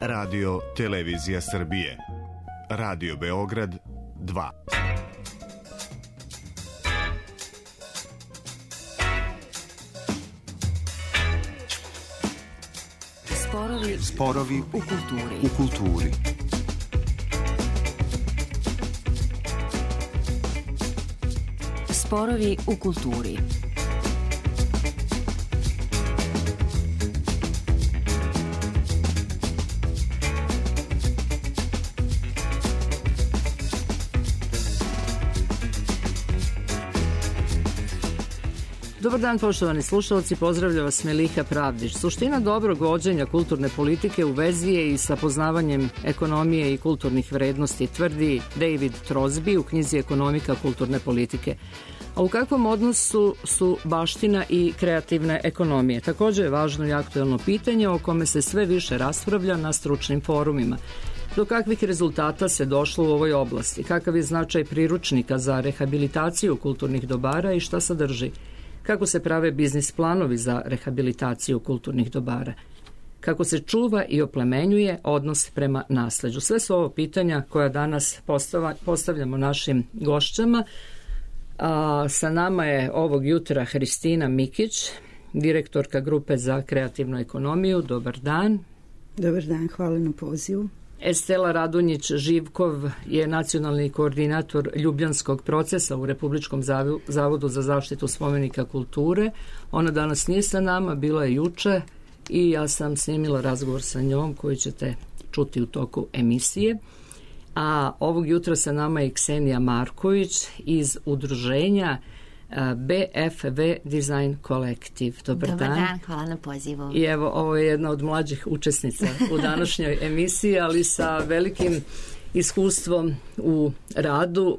Radio Televizija Srbije. Radio Beograd 2. Sporovi u kulturi. Sporovi u kulturi. Dobar dan, poštovani slušalci, pozdravlja vas Meliha Pravdić. Suština dobrog vođenja kulturne politike u vezi je i sa poznavanjem ekonomije i kulturnih vrednosti, tvrdi David Crosby u knjizi Ekonomika kulturne politike. A u kakvom odnosu su baština i kreativne ekonomije? Također je važno i aktuelno pitanje o kome se sve više raspravlja na stručnim forumima. Do kakvih rezultata se došlo u ovoj oblasti? Kakav je značaj priručnika za rehabilitaciju kulturnih dobara i šta sadrži? Kako se prave biznis planovi za rehabilitaciju kulturnih dobara? Kako se čuva i oplemenjuje odnos prema nasleđu? Sve su ovo pitanja koja danas postavljamo našim gošćama. Sa nama je ovog jutra Hristina Mikić, direktorka Grupe za kreativnu ekonomiju. Dobar dan. Dobar dan, hvala na pozivu. Estela Radunjić-Živkov je nacionalni koordinator Ljubljanskog procesa u Republičkom zavodu za zaštitu spomenika kulture. Ona danas nije sa nama, bila je juče i ja sam snimila razgovor sa njom koji ćete čuti u toku emisije. A ovog jutra sa nama je Ksenija Marković iz udruženja BFV Design Collective. Dobar dan, hvala na pozivu. I evo, ovo je jedna od mlađih učesnica u današnjoj emisiji, ali sa velikim iskustvom u radu,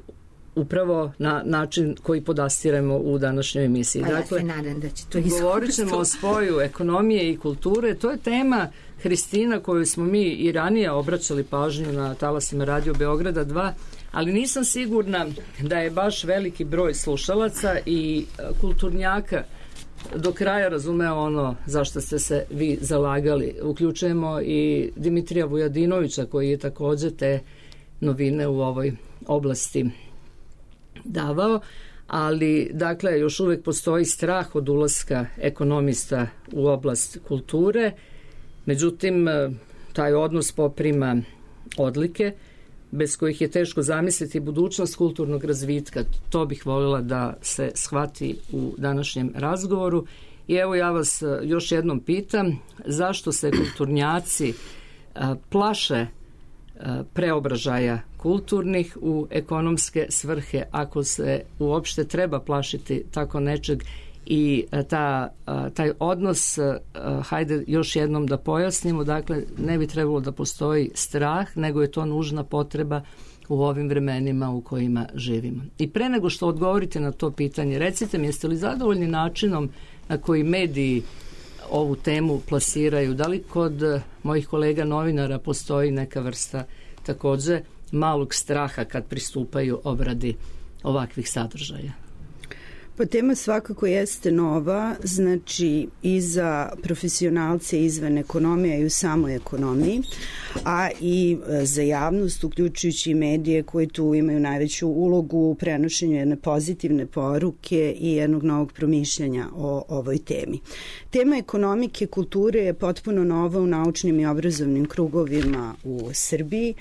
upravo na način koji podastiremo u današnjoj emisiji. Dakle, ja se nadam da će to iskustvo. Govorit ćemo o spoju ekonomije i kulture. To je tema, Hristina, koju smo mi i ranije obraćali pažnju na talasima Radio Beograda 2, ali nisam sigurna da je baš veliki broj slušalaca i kulturnjaka do kraja razumeo ono zašto ste se vi zalagali. Uključujemo i Dimitrija Vujadinovića koji je također te novine u ovoj oblasti davao, ali dakle još uvijek postoji strah od ulaska ekonomista u oblast kulture. Međutim, taj odnos poprima odlike bez kojih je teško zamisliti budućnost kulturnog razvitka. To bih voljela da se shvati u današnjem razgovoru. I evo ja vas još jednom pitam, zašto se kulturnjaci plaše preobražaja kulturnih u ekonomske svrhe, ako se uopšte treba plašiti tako nečeg? I taj odnos, hajde još jednom da pojasnimo, dakle ne bi trebalo da postoji strah, nego je to nužna potreba u ovim vremenima u kojima živimo. I pre nego što odgovorite na to pitanje, recite mi, jeste li zadovoljni načinom na koji mediji ovu temu plasiraju? Da li kod mojih kolega novinara postoji neka vrsta također malog straha kad pristupaju obradi ovakvih sadržaja? Pa tema svakako jeste nova, znači i za profesionalce izvan ekonomije i u samoj ekonomiji, a i za javnost, uključujući medije koji tu imaju najveću ulogu u prenošenju jedne pozitivne poruke i jednog novog promišljanja o ovoj temi. Tema ekonomike kulture je potpuno nova u naučnim i obrazovnim krugovima u Srbiji.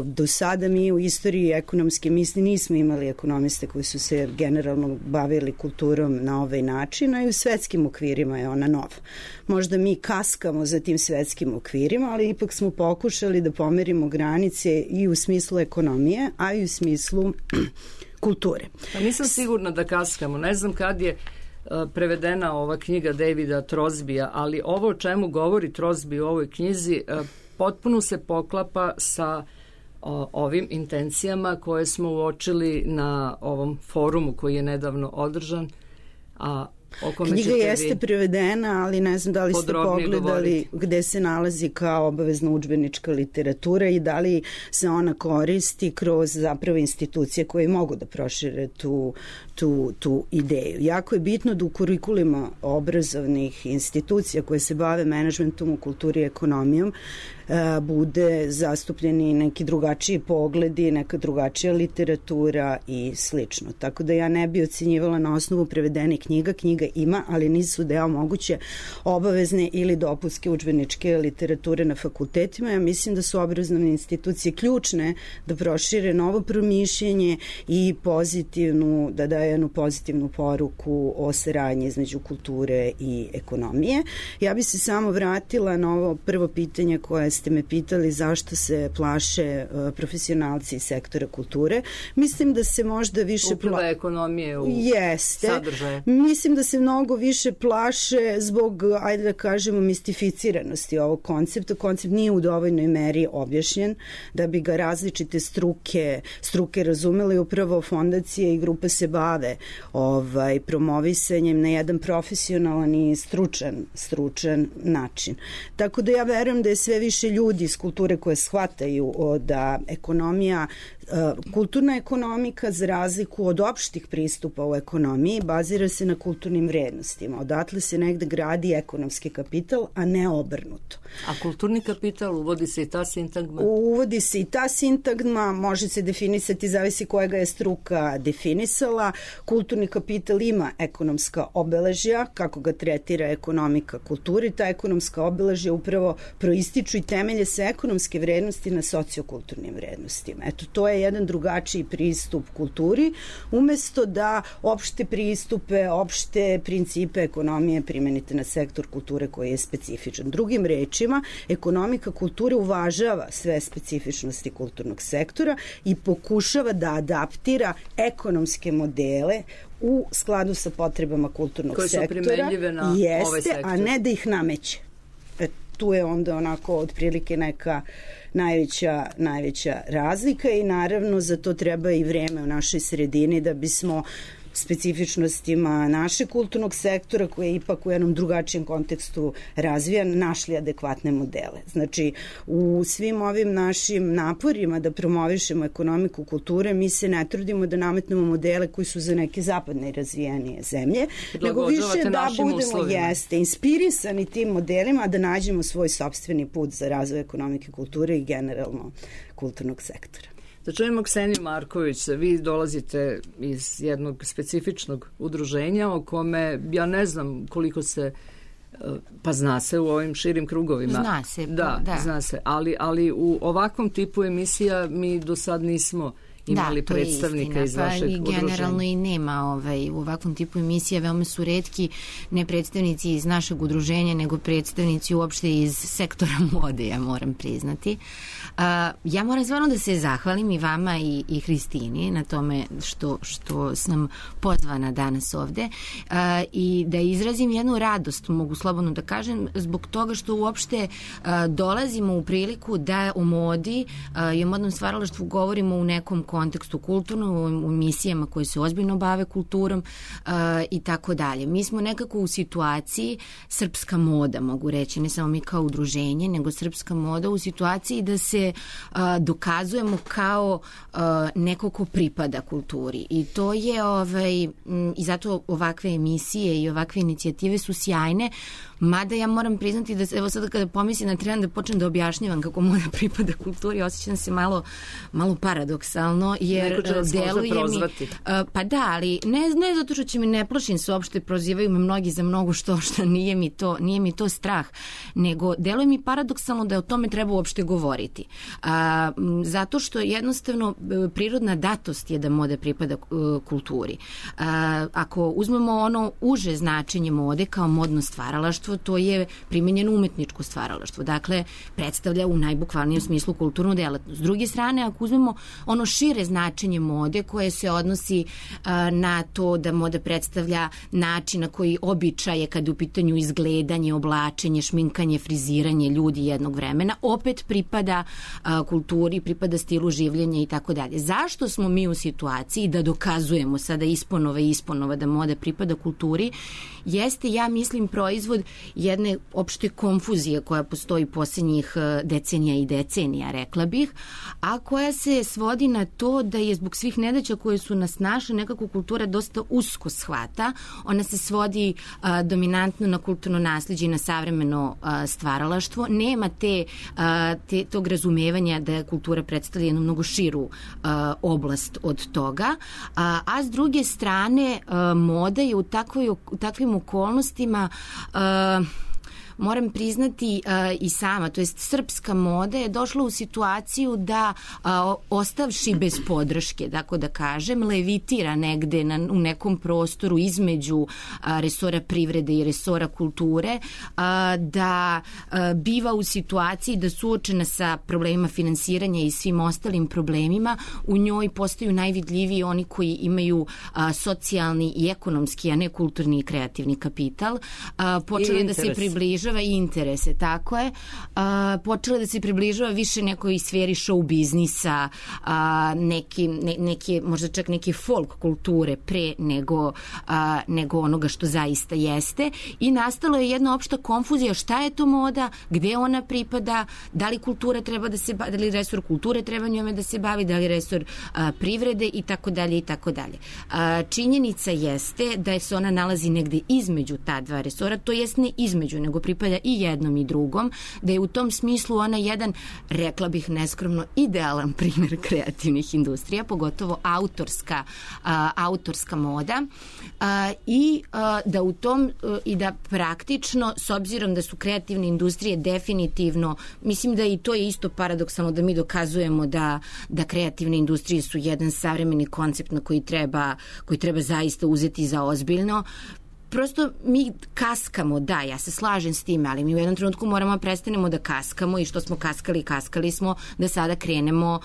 Do sada mi u istoriji ekonomske misli nismo imali ekonomiste koji su se generalno bavili kulturom na ovaj način, a i u svetskim okvirima je ona nova. Možda mi kaskamo za tim svetskim okvirima, ali ipak smo pokušali da pomerimo granice i u smislu ekonomije, a i u smislu kulture. Pa nisam sigurna da kaskamo. Ne znam kad je prevedena ova knjiga Davida Crosbya, ali ovo o čemu govori Crosby u ovoj knjizi potpuno se poklapa sa ovim intencijama koje smo uočili na ovom forumu koji je nedavno održan, a o kome knjiga jeste prevedena, ali ne znam da li ste pogledali gde se nalazi kao obavezna udžbenička literatura i da li se ona koristi kroz zapravo institucije koje mogu da prošire tu ideju. Jako je bitno da u kurikulima obrazovnih institucija koje se bave menadžmentom u kulturi i ekonomijom bude zastupljeni neki drugačiji pogledi, neka drugačija literatura i slično. Tako da ja ne bi ocenjivala na osnovu prevedenih knjiga. Knjiga ima, ali nisu deo moguće obavezne ili dopunske udžbeničke literature na fakultetima. Ja mislim da su obrazovne institucije ključne da prošire novo promišljenje i da daje jednu pozitivnu poruku o saradnji između kulture i ekonomije. Ja bi se samo vratila na ovo prvo pitanje koje ste me pitali, zašto se plaše profesionalci iz sektora kulture. Mislim da se možda više upliva ekonomije u sadržaje. Mislim da se mnogo više plaše zbog, ajde da kažemo, mistificiranosti ovog koncepta. Koncept nije u dovoljnoj meri objašnjen da bi ga različite struke razumele i upravo fondacije i grupe se bave promovisanjem na jedan profesionalan i stručan način. Tako da ja verujem da je sve više ljudi iz kulture koje shvataju da kulturna ekonomika, za razliku od opštih pristupa u ekonomiji, bazira se na kulturnim vrednostima. Odatle se negde gradi ekonomski kapital, a ne obrnuto. A kulturni kapital, uvodi se i ta sintagma? Uvodi se i ta sintagma, može se definisati, zavisi koja ga je struka definisala. Kulturni kapital ima ekonomska obeležja, kako ga tretira ekonomika kulturi. Ta ekonomska obeležja upravo proističu i temelje se ekonomske vrednosti na sociokulturnim vrednostima. Eto, to je jedan drugačiji pristup kulturi, umesto da opšte pristupe, opšte principe ekonomije primenite na sektor kulture koji je specifičan. Drugim rečima, ekonomika kulture uvažava sve specifičnosti kulturnog sektora i pokušava da adaptira ekonomske modele u skladu sa potrebama kulturnog sektora. Koje su primenljive na ovaj sektor. A ne da ih nameće. Tu je onda onako otprilike neka najveća razlika i naravno za to treba i vreme u našoj sredini da bismo specifičnostima našeg kulturnog sektora, koji je ipak u jednom drugačijem kontekstu razvijan, našli adekvatne modele. Znači, u svim ovim našim naporima da promovišemo ekonomiku kulture, mi se ne trudimo da nametnemo modele koji su za neke zapadne i razvijenije zemlje, nego više da budemo inspirisani tim modelima, da nađemo svoj sopstveni put za razvoj ekonomike kulture i generalno kulturnog sektora. Da čujemo Kseniju Marković, vi dolazite iz jednog specifičnog udruženja o kome ja ne znam koliko se, pa zna se u ovim širim krugovima. Zna se. Da. Zna se, ali u ovakvom tipu emisija mi do sad nismo imali predstavnika iz vašeg udruženja. Generalno i nema u ovakvom tipu emisija, veoma su retki ne predstavnici iz našeg udruženja, nego predstavnici uopšte iz sektora mode, ja moram priznati. Ja moram stvarno da se zahvalim i vama i Hristini na tome što sam pozvana danas ovde i da izrazim jednu radost, mogu slobodno da kažem, zbog toga što uopšte dolazimo u priliku da o modi i o modnom stvaralaštvu govorimo u nekom kontekstu kulturnom, u emisijama koje se ozbiljno bave kulturom i tako dalje. Mi smo nekako u situaciji, srpska moda, mogu reći, ne samo mi kao udruženje, nego srpska moda u situaciji da se dokazujemo kao neko ko pripada kulturi. I to je, i zato ovakve emisije i ovakve inicijative su sjajne, mada ja moram priznati da, evo sada kada pomislim da trebam da počnem da objašnjavam kako moda pripada kulturi, osjećam se malo paradoksalno, jer deluje mi... Pa da, ali ne zato što će mi, ne plašim se uopšte, prozivaju me mnogi za mnogo što nije mi to strah, nego deluje mi paradoksalno da o tome treba uopšte govoriti. Zato što jednostavno prirodna datost je da moda pripada kulturi. Ako uzmemo ono uže značenje mode kao modno stvaralaštvo, to je primenjeno umetničko stvaralaštvo. Dakle, predstavlja u najbukvalnijem smislu kulturnu delatnost. S druge strane, ako uzmemo ono šire značenje mode koje se odnosi na to da moda predstavlja način na koji običaje kad je u pitanju izgledanje, oblačenje, šminkanje, friziranje ljudi jednog vremena, opet pripada kulturi, pripada stilu življenja i tako dalje. Zašto smo mi u situaciji da dokazujemo sada isponova da moda pripada kulturi? Jeste, ja mislim, proizvod jedne opšte konfuzije koja postoji posljednjih decenija, rekla bih, a koja se svodi na to da je zbog svih nedaća koje su nas našle, nekako kultura dosta usko shvata. Ona se svodi dominantno na kulturno naslijeđe i na savremeno stvaralaštvo. Nema tog razumevanja da kultura predstavlja jednu mnogo širu oblast od toga. A s druge strane, moda je u takvim okolnostima moram priznati i sama, to jest srpska moda je došla u situaciju da ostavši bez podrške, tako da kažem, levitira negde u nekom prostoru između resora privrede i resora kulture, da biva u situaciji da suočena sa problemima finansiranja i svim ostalim problemima, u njoj postaju najvidljiviji oni koji imaju socijalni i ekonomski, a ne kulturni i kreativni kapital. Počela da se približava i interese, tako je. Počela da se približava više nekoj sferi show biznisa, možda čak neke folk kulture pre nego onoga što zaista jeste. I nastalo je jedna opšta konfuzija šta je to moda, gde ona pripada, da li kultura treba da se bavi, da li resor kulture treba njome da se bavi, da li resor privrede i tako dalje i tako dalje. Činjenica jeste da se ona nalazi negde između ta dva resora, to jest ne između, nego pripada i jednom i drugom, da je u tom smislu ona jedan, rekla bih neskromno, idealan primjer kreativnih industrija, pogotovo autorska moda, i da u tom i da praktično, s obzirom da su kreativne industrije definitivno, mislim da i to je isto paradoksalno da mi dokazujemo da kreativne industrije su jedan savremeni koncept na koji treba zaista uzeti za ozbiljno. Prosto mi kaskamo, da, ja se slažem s tim, ali mi u jednom trenutku moramo prestanemo da kaskamo i što smo kaskali smo da sada krenemo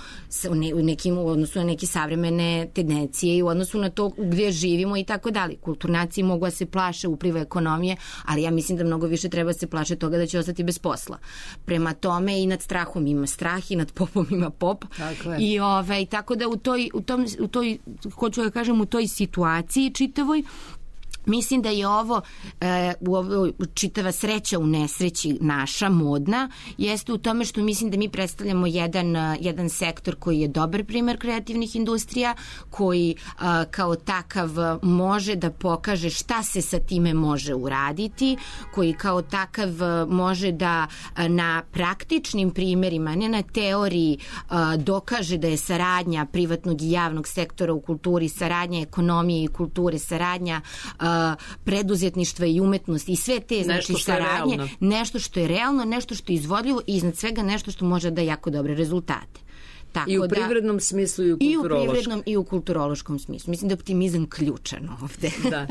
u odnosu na neke savremene tendencije i u odnosu na to gdje živimo i tako dalje. Kulturnaci mogu da se plaše upliva ekonomije, ali ja mislim da mnogo više treba se plaše toga da će ostati bez posla. Prema tome i nad strahom ima strah i nad popom ima pop. I tako da hoću da kažem, u toj situaciji čitavoj, mislim da je ovo čitava sreća u nesreći naša, modna, jeste u tome što mislim da mi predstavljamo jedan sektor koji je dobar primer kreativnih industrija, koji kao takav može da pokaže šta se sa time može uraditi, koji kao takav može da na praktičnim primerima, ne na teoriji, dokaže da je saradnja privatnog i javnog sektora u kulturi, saradnja ekonomije i kulture, saradnja preduzetništva i umetnosti i sve te saradnje, nešto što je realno, nešto što je izvodljivo i iznad svega nešto što može da jako dobre rezultate. I u privrednom smislu i u kulturološkom. I u privrednom i u kulturološkom smislu. Mislim da je optimizam ključan ovde. Da.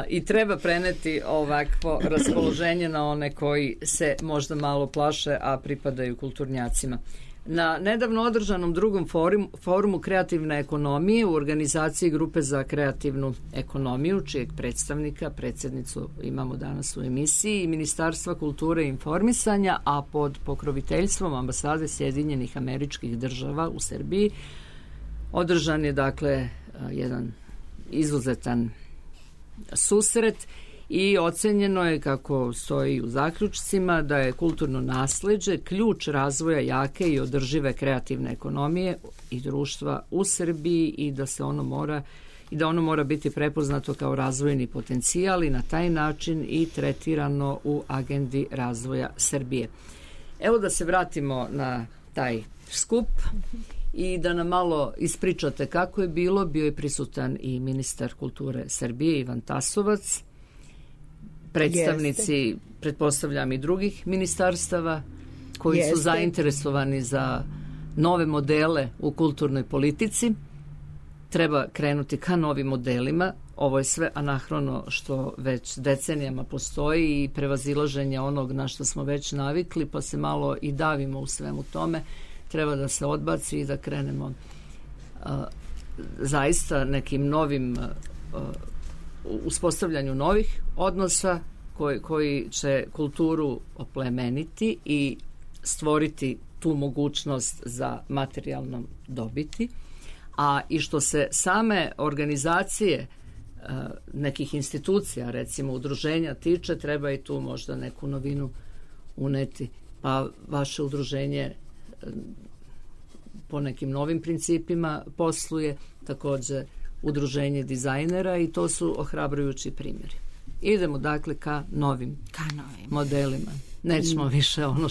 I treba preneti ovakvo raspoloženje na one koji se možda malo plaše, a pripadaju kulturnjacima. Na nedavno održanom drugom forumu kreativne ekonomije u organizaciji Grupe za kreativnu ekonomiju, čijeg predsjednicu imamo danas u emisiji, i Ministarstva kulture i informisanja, a pod pokroviteljstvom Ambasade Sjedinjenih Američkih Država u Srbiji, održan je dakle jedan izuzetan susret i ocenjeno je, kako stoji u zaključcima, da je kulturno nasleđe ključ razvoja jake i održive kreativne ekonomije i društva u Srbiji i da ono mora biti prepoznato kao razvojni potencijal i na taj način i tretirano u agendi razvoja Srbije. Evo da se vratimo na taj skup i da nam malo ispričate kako je bilo. Bio je prisutan i ministar kulture Srbije Ivan Tasovac, predstavnici, pretpostavljam, i drugih ministarstava koji su zainteresovani za nove modele u kulturnoj politici. Treba krenuti ka novim modelima. Ovo je sve anahrono što već decenijama postoji i prevazilaženje onog na što smo već navikli, pa se malo i davimo u svemu tome. Treba da se odbaci i da krenemo zaista nekim novim uspostavljanju novih odnosa koji će kulturu oplemeniti i stvoriti tu mogućnost za materijalnom dobiti, a i što se same organizacije nekih institucija, recimo udruženja tiče, treba i tu možda neku novinu uneti. Pa vaše udruženje po nekim novim principima posluje, takođe udruženje dizajnera i to su ohrabrujući primjeri. Idemo dakle ka novim modelima. Nećemo više ono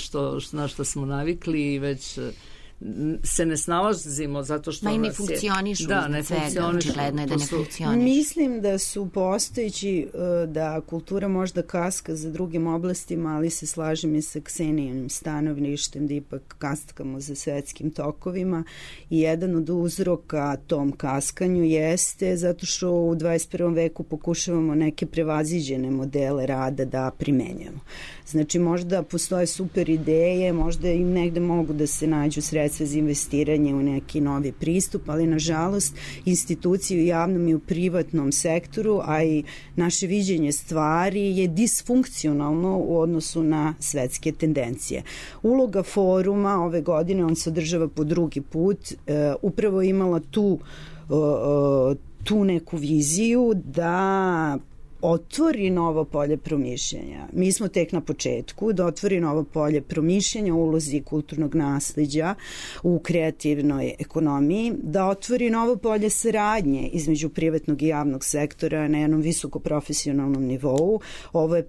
na što smo navikli i već se ne snalazimo zato što ne funkcionišu. Da, ne funkcionišu. Očigledno je da ne funkcionišu. Mislim da su postojeći, da kultura možda kaska za drugim oblastima, ali se slažem i sa Ksenijom stanovništem da ipak kaskamo za svetskim tokovima i jedan od uzroka tom kaskanju jeste zato što u 21. veku pokušavamo neke prevaziđene modele rada da primenjamo. Znači možda postoje super ideje, možda im negde mogu da se nađu sredstva za investiranje u neki novi pristup, ali nažalost institucije u javnom i u privatnom sektoru, a i naše viđenje stvari je disfunkcionalno u odnosu na svetske tendencije. Uloga foruma ove godine, on se održava po drugi put, upravo imala tu neku viziju da otvori novo polje promišljanja. Mi smo tek na početku, da otvori novo polje promišljanja o ulozi kulturnog nasleđa u kreativnoj ekonomiji, da otvori novo polje saradnje između privatnog i javnog sektora na jednom visoko profesionalnom nivou. Ovo je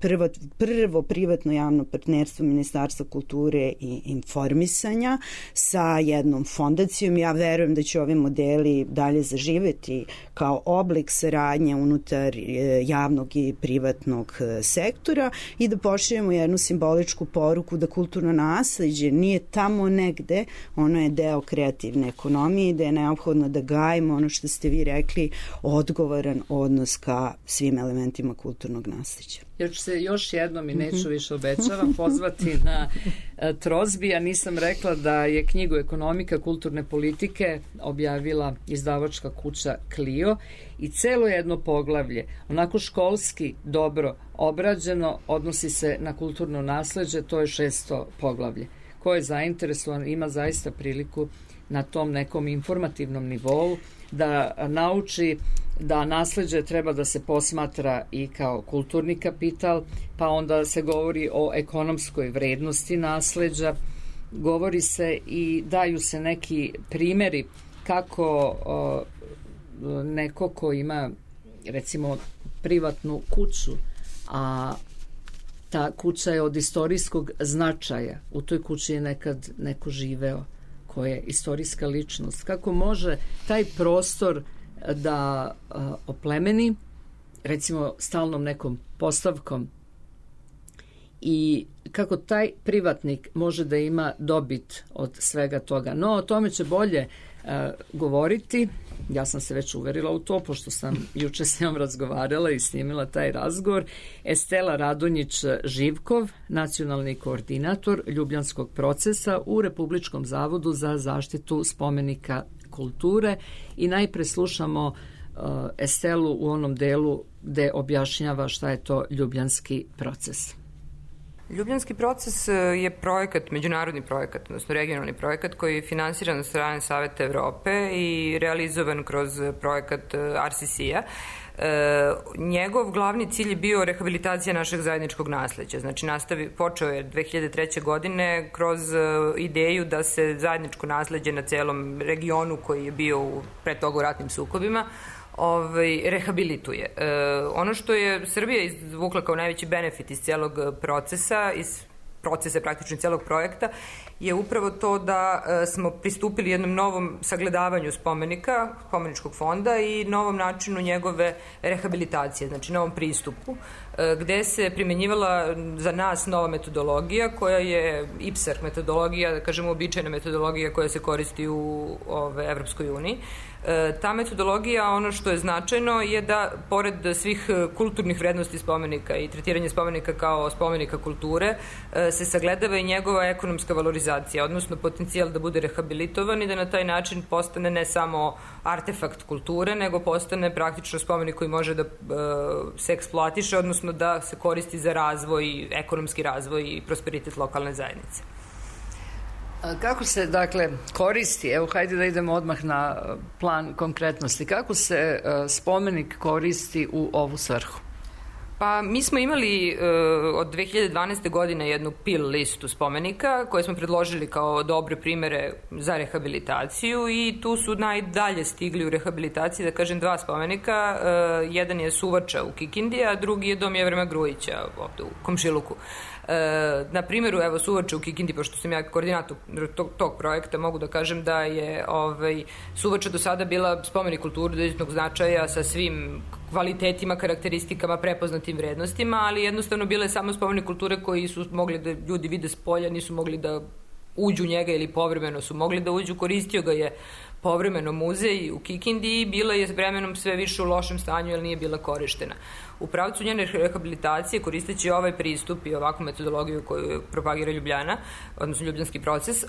prvo privatno javno partnerstvo Ministarstva kulture i informisanja sa jednom fondacijom. Ja verujem da će ovi modeli dalje zaživeti kao oblik saradnje unutar javnog i privatnog sektora i da pošaljemo jednu simboličku poruku da kulturno nasleđe nije tamo negde, ono je deo kreativne ekonomije i da je neophodno da gajimo ono što ste vi rekli, odgovoran odnos ka svim elementima kulturnog nasleđa. Ja ću se još jednom i neću više obećavam pozvati na Trozbi. Ja nisam rekla da je knjigu Ekonomika kulturne politike objavila izdavačka kuća Clio i celo jedno poglavlje, onako školski dobro obrađeno, odnosi se na kulturno nasleđe, to je 600 poglavlje. Ko je zainteresovan ima zaista priliku na tom nekom informativnom nivou da nauči da nasleđe treba da se posmatra i kao kulturni kapital, pa onda se govori o ekonomskoj vrednosti nasleđa, govori se i daju se neki primeri kako neko ko ima recimo privatnu kuću, a ta kuća je od istorijskog značaja, u toj kući je nekad neko živeo ko je istorijska ličnost, kako može taj prostor da oplemeni recimo stalnom nekom postavkom i kako taj privatnik može da ima dobit od svega toga. No, o tome će bolje govoriti. Ja sam se već uverila u to, pošto sam juče s njom razgovarala i snimila taj razgovor. Estela Radonjić-Živkov, nacionalni koordinator Ljubljanskog procesa u Republičkom zavodu za zaštitu spomenika kulture. I najpre slušamo Estelu u onom delu gde objašnjava šta je to Ljubljanski proces. Ljubljanski proces je projekat, međunarodni projekat, odnosno regionalni projekat koji je finansiran od strane Saveta Evrope i realizovan kroz projekat RCC-a. Njegov glavni cilj je bio rehabilitacija našeg zajedničkog nasleđa. Znači, počeo je 2003. godine kroz ideju da se zajedničko nasleđe na celom regionu koji je bio pre toga u ratnim sukobima rehabilituje. Ono što je Srbija izvukla kao najveći benefit iz celog procesa, praktično celog projekta, je upravo to da smo pristupili jednom novom sagledavanju spomenika, spomeničkog fonda i novom načinu njegove rehabilitacije, znači novom pristupu, gde se primenjivala za nas nova metodologija koja je IPSAR metodologija, da kažemo običajna metodologija koja se koristi u Evropskoj uniji. Ta metodologija, ono što je značajno je da pored svih kulturnih vrednosti spomenika i tretiranje spomenika kao spomenika kulture se sagledava i njegova ekonomska valorizacija, odnosno potencijal da bude rehabilitovan i da na taj način postane ne samo artefakt kulture, nego postane praktično spomenik koji može da se eksploatiše, odnosno da se koristi za razvoj, ekonomski razvoj i prosperitet lokalne zajednice. Kako se, dakle, koristi, evo, hajde da idemo odmah na plan konkretnosti, kako se spomenik koristi u ovu svrhu? Pa mi smo imali od 2012. godine jednu pil listu spomenika koje smo predložili kao dobre primere za rehabilitaciju i tu su najdalje stigli u rehabilitaciji, da kažem, 2 spomenika. Jedan je Suvača u Kikindi, a drugi je Dom Jevrema Grujića ovde u Komšiluku. Na primjeru, evo, Suvača u Kikindi, pošto sam ja koordinator tog projekta, mogu da kažem da je Suvača do sada bila spomenik kulture od izuzetnog značaja sa svim kvalitetima, karakteristikama, prepoznatim vrednostima, ali jednostavno bila je samo spomenik kulture koji su mogli da ljudi vide s polja, nisu mogli da uđu u njega ili povremeno su mogli da uđu, koristio ga je povremeno muzej u Kikindi i bila je s vremenom sve više u lošem stanju jer nije bila korištena. U pravcu njene rehabilitacije, koristeći ovaj pristup i ovakvu metodologiju koju propagira Ljubljana, odnosno ljubljanski proces,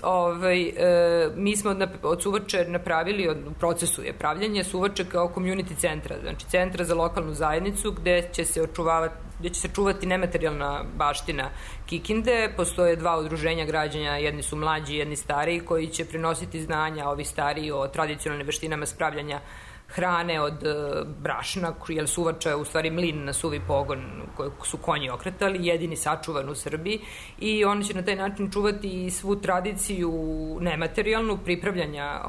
mi smo od Suvače napravili, u procesu je pravljanje Suvače kao community centra, znači centra za lokalnu zajednicu gde će se čuvati nematerijalna baština Kikinde. Postoje 2 udruženja građanja, jedni su mlađi, jedni stariji, koji će prenositi znanja, ovi stariji, o tradicionalnim veštinama spravljanja hrane od brašna, jer Suvača je u stvari mlin na suvi pogon koji su konji okretali, jedini sačuvan u Srbiji, i oni će na taj način čuvati svu tradiciju nematerijalnu pripravljanja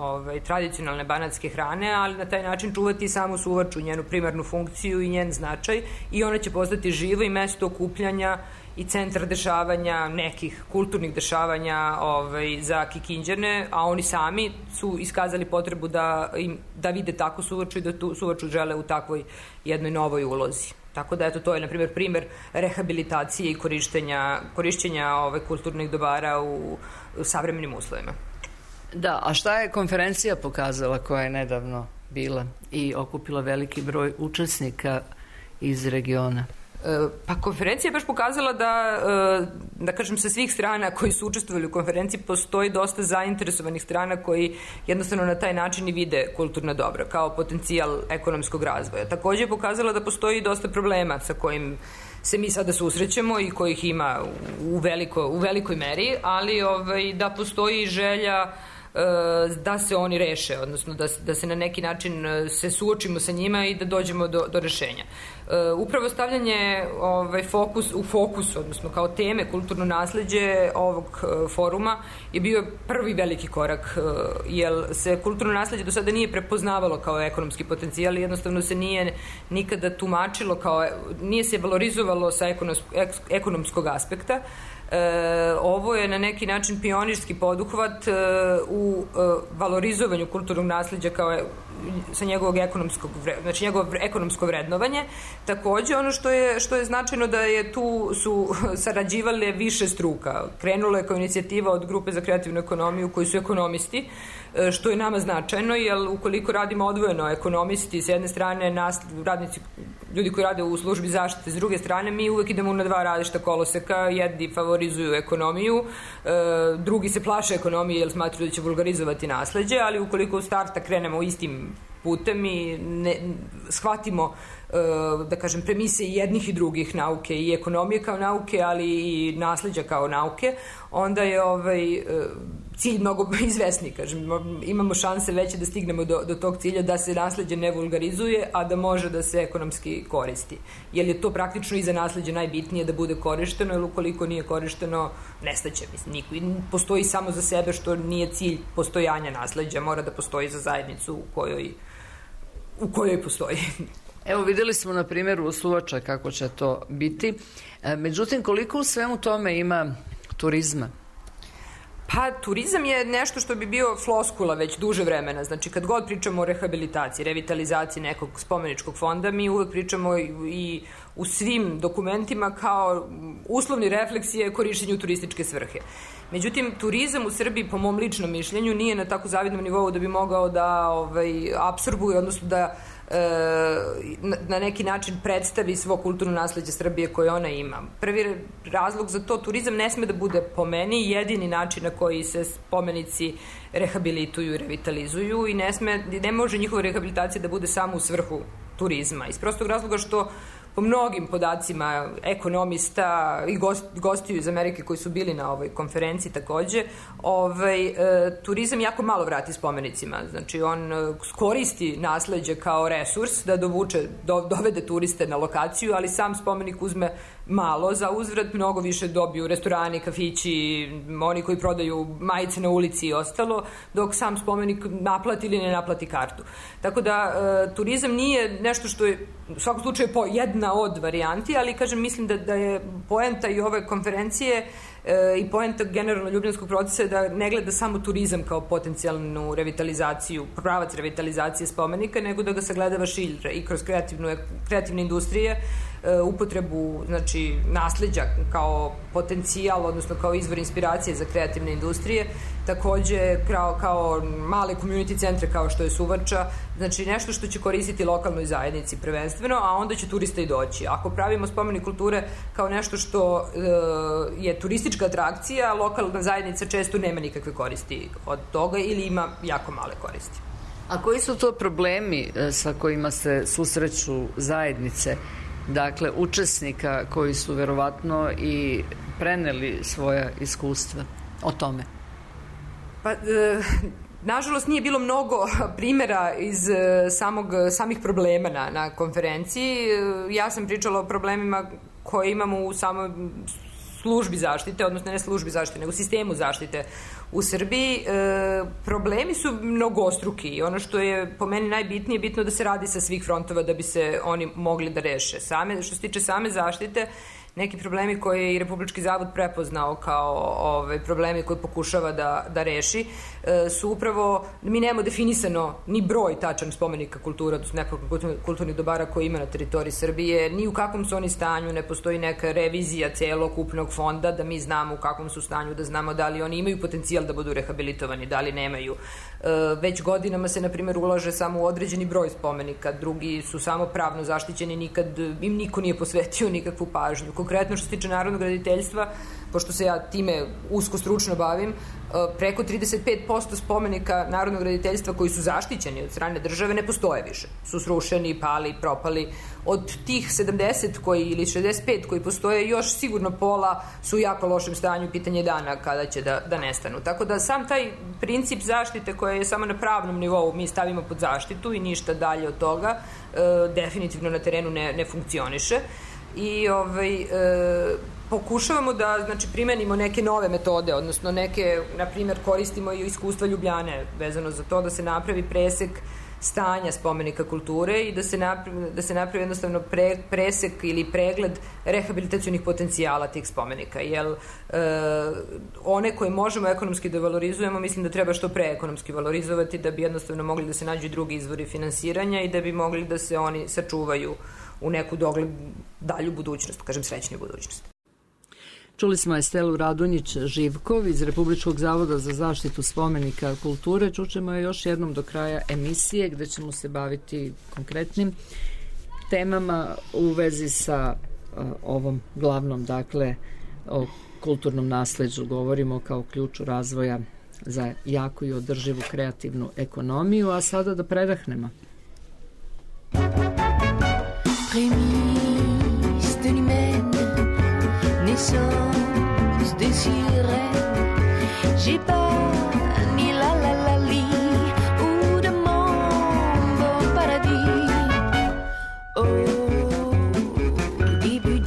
tradicionalne banatske hrane, ali na taj način čuvati samu Suvaču, njenu primarnu funkciju i njen značaj, i ona će postati živo i mesto okupljanja i centar dešavanja, nekih kulturnih dešavanja za Kikinđane, a oni sami su iskazali potrebu da vide takvu Suvaču i da tu Suvaču žele u takvoj jednoj novoj ulozi. Tako da, eto, to je, na primer rehabilitacije i korišćenja kulturnih dobara u savremenim uslovima. Da, a šta je konferencija pokazala koja je nedavno bila i okupila veliki broj učesnika iz regiona? Pa konferencija je baš pokazala da kažem, sa svih strana koji su učestvovali u konferenciji postoji dosta zainteresovanih strana koji jednostavno na taj način i vide kulturna dobra kao potencijal ekonomskog razvoja. Takođe je pokazala da postoji dosta problema sa kojim se mi sada susrećemo i kojih ima u velikoj meri, ali da postoji želja da se oni reše, odnosno da se na neki način se suočimo sa njima i da dođemo do rešenja. Upravo stavljanje u fokus, odnosno kao teme kulturno nasleđe ovog foruma je bio prvi veliki korak, jer se kulturno nasleđe do sada nije prepoznavalo kao ekonomski potencijal i jednostavno se nije nikada tumačilo nije se valorizovalo sa ekonomskog aspekta. Ovo je na neki način pionirski poduhvat u valorizovanju kulturnog nasleđa sa njegovog ekonomsko vrednovanje. Takođe, ono što je značajno da su sarađivale više struka. Krenulo je kao inicijativa od Grupe za kreativnu ekonomiju koji su ekonomisti, što je nama značajno, jer ukoliko radimo odvojeno ekonomisti s jedne strane, radnici, ljudi koji rade u službi zaštite s druge strane, mi uvek idemo na 2 različita koloseka, jedni favorizuju ekonomiju, drugi se plaše ekonomije jer smatruju da će vulgarizovati nasleđe, ali ukoliko u starta krenemo istim putem i shvatimo, da kažem, premise jednih i drugih nauke, i ekonomije kao nauke, ali i nasleđa kao nauke, onda je cilj mnogo izvesniji, kažem, imamo šanse veće da stignemo do tog cilja, da se nasleđe ne vulgarizuje, a da može da se ekonomski koristi. Jer je to praktično i za nasleđe najbitnije da bude korišteno, jer ukoliko nije korišteno, nestaće. Postoji samo za sebe, što nije cilj postojanja nasleđa, mora da postoji za zajednicu u kojoj postoji. Evo, videli smo na primjeru Suvača kako će to biti. Međutim, koliko u svemu tome ima turizma? Pa, turizam je nešto što bi bio floskula već duže vremena. Znači, kad god pričamo o rehabilitaciji, revitalizaciji nekog spomeničkog fonda, mi uvek pričamo i u svim dokumentima kao uslovni refleksije korišćenju turističke svrhe. Međutim, turizam u Srbiji, po mom ličnom mišljenju, nije na tako zavidnom nivou da bi mogao da apsorbuje, odnosno da na neki način predstavi svo kulturno nasleđe Srbije koje ona ima. Prvi razlog za to, turizam ne sme da bude, po meni, jedini način na koji se spomenici rehabilituju i revitalizuju, i ne može njihova rehabilitacija da bude samo u svrhu turizma. Iz prostog razloga što po mnogim podacima ekonomista i gostiju iz Amerike koji su bili na ovoj konferenciji takođe, turizam jako malo vrati spomenicima. Znači, on koristi nasleđe kao resurs da dovede turiste na lokaciju, ali sam spomenik uzme malo za uzvrat, mnogo više dobiju restorani, kafići, oni koji prodaju majice na ulici i ostalo, dok sam spomenik naplati ili ne naplati kartu. Tako da turizam nije nešto što je u svakom slučaju jedna od varijanti, ali kažem, mislim da je poenta i ove konferencije i poenta generalno ljubljanskog procesa je da ne gleda samo turizam kao potencijalnu revitalizaciju, pravac revitalizacije spomenika, nego da ga sagledava šilje i kroz kreativne industrije, upotrebu, znači, nasleđa kao potencijal, odnosno kao izvor inspiracije za kreativne industrije, takođe kao male community centre kao što je Suvača, znači nešto što će koristiti lokalnoj zajednici prvenstveno, a onda će turista i doći. Ako pravimo spomenik kulture kao nešto što je turistička atrakcija, lokalna zajednica često nema nikakve koristi od toga ili ima jako male koristi. A koji su to problemi sa kojima se susreću zajednice, dakle učesnika koji su verovatno i preneli svoja iskustva o tome? Pa, nažalost, nije bilo mnogo primjera iz samih problema na konferenciji. Ja sam pričala o problemima koje imamo u samoj službi zaštite, odnosno ne službi zaštite, nego sistemu zaštite u Srbiji. Problemi su mnogostruki i ono što je po meni najbitnije, bitno da se radi sa svih frontova da bi se oni mogli da reše. Što se tiče same zaštite, neki problemi koje je i Republički zavod prepoznao kao problemi koje pokušava da reši su upravo, mi nemamo definisano ni broj tačan spomenika kultura, odnosno nekoliko kulturnih dobara koje ima na teritoriji Srbije, ni u kakvom su oni stanju, ne postoji neka revizija celokupnog fonda da mi znamo u kakvom su stanju, da znamo da li oni imaju potencijal da budu rehabilitovani, da li nemaju. Već godinama se, na primjer, ulaže samo u određeni broj spomenika, drugi su samo pravno zaštićeni, nikad im niko nije posvetio nikakvu pažnju. Konkretno što se tiče narodnog graditeljstva, pošto se ja time usko stručno bavim, preko 35% spomenika narodnog graditeljstva koji su zaštićeni od strane države ne postoje više. Su srušeni, pali, propali. Od tih 70 ili 65 koji postoje, još sigurno pola su u jako lošem stanju, pitanje dana kada će da nestanu. Tako da sam taj princip zaštite koje je samo na pravnom nivou mi stavimo pod zaštitu i ništa dalje od toga, definitivno na terenu ne funkcioniše. I pokušavamo da, znači, primenimo neke nove metode, odnosno neke, na primjer, koristimo i iskustva Ljubljane vezano za to da se napravi presek stanja spomenika kulture i da se napravi jednostavno presek ili pregled rehabilitacionih potencijala tih spomenika, jer one koje možemo ekonomski da valorizujemo, mislim da treba što pre ekonomski valorizovati da bi jednostavno mogli da se nađu drugi izvori finansiranja i da bi mogli da se oni sačuvaju u neku dalju budućnost, kažem srećniju budućnost. Čuli smo Estelu Radonjić-Živkov iz Republičkog zavoda za zaštitu spomenika kulture. Čućemo je još jednom do kraja emisije gde ćemo se baviti konkretnim temama u vezi sa ovom glavnom, dakle, o kulturnom nasleđu. Govorimo kao ključu razvoja za jaku i održivu kreativnu ekonomiju, a sada da predahnemo. Prémices de l'humaine, naissance de sirène, j'ai pas ni la la la li ou de mambo paradis. Au début,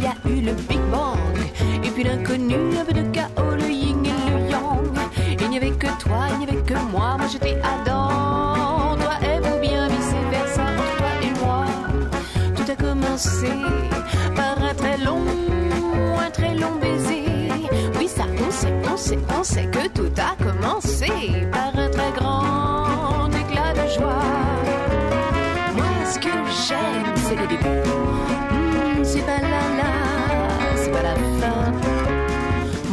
y a eu le Big Bang, et puis l'inconnu, un peu de chaos, le yin et le yang. Il n'y avait que toi, il n'y avait que moi j'étais Adam, toi et vous bien vice versa, toi et moi. Tout a commencé par un très long baiser. Oui, ça, on sait que tout a commencé par un très grand éclat de joie. Moi, ce que j'aime, c'est le début. C'est pas c'est pas la fin.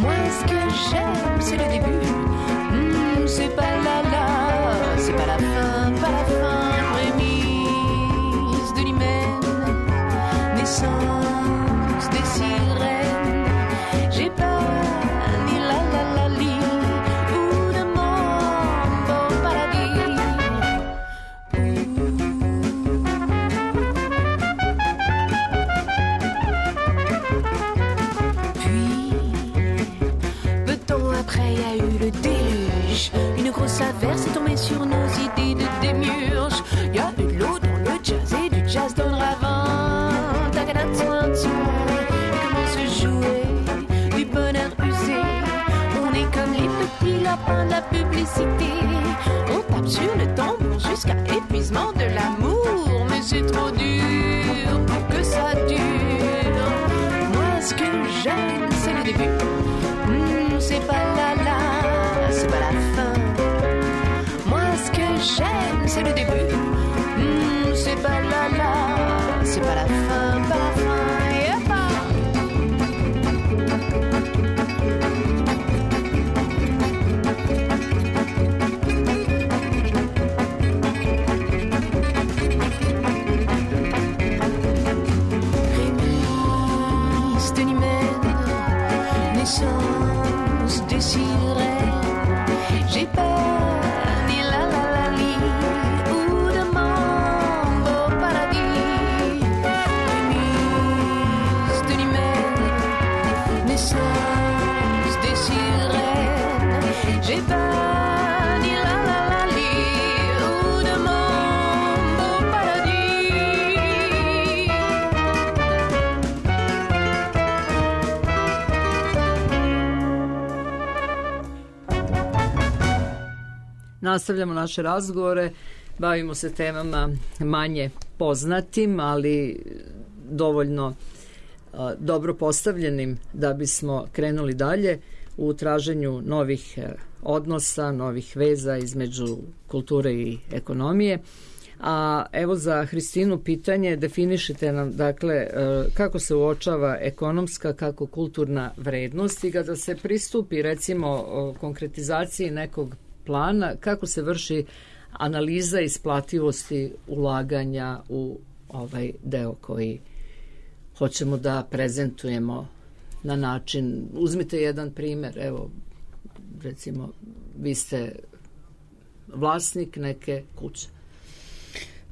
Moi, ce que j'aime, c'est le début. C'est pas c'est pas la fin, pas la fin. Prémisse de l'hymen, naissance des sirènes. J'ai pas ni la li ou de mort. Une grosse averse est tombée sur nos idées de démiurge. Y a eu de l'eau dans le jazz et du jazz dans le ravin. Comment se jouer du bonheur usé? On est comme les petits lapins de la publicité. On tape sur le tambour jusqu'à épuisement de l'amour. Mais c'est trop dur pour que ça dure. Moi ce que j'aime c'est le début. C'est pas la, c'est pas la fin. Moi ce que j'aime c'est le début. C'est pas la, c'est pas la fin, pas la fin. J'ai peur ni la la la li ou de mambo paradis. Mise de l'humaine, naissance des sirènes. J'ai peur ni la la la li ou de mambo paradis. Nastavljamo naše razgovore, bavimo se temama manje poznatim, ali dovoljno dobro postavljenim da bismo krenuli dalje u traženju novih odnosa, novih veza između kulture i ekonomije. A evo za Hristinu pitanje, definišite nam dakle kako se uočava ekonomska, kako kulturna vrednost i kada se pristupi recimo konkretizaciji nekog plana, kako se vrši analiza isplativosti ulaganja u ovaj deo koji hoćemo da prezentujemo na način, uzmite jedan primer, evo recimo vi ste vlasnik neke kuće.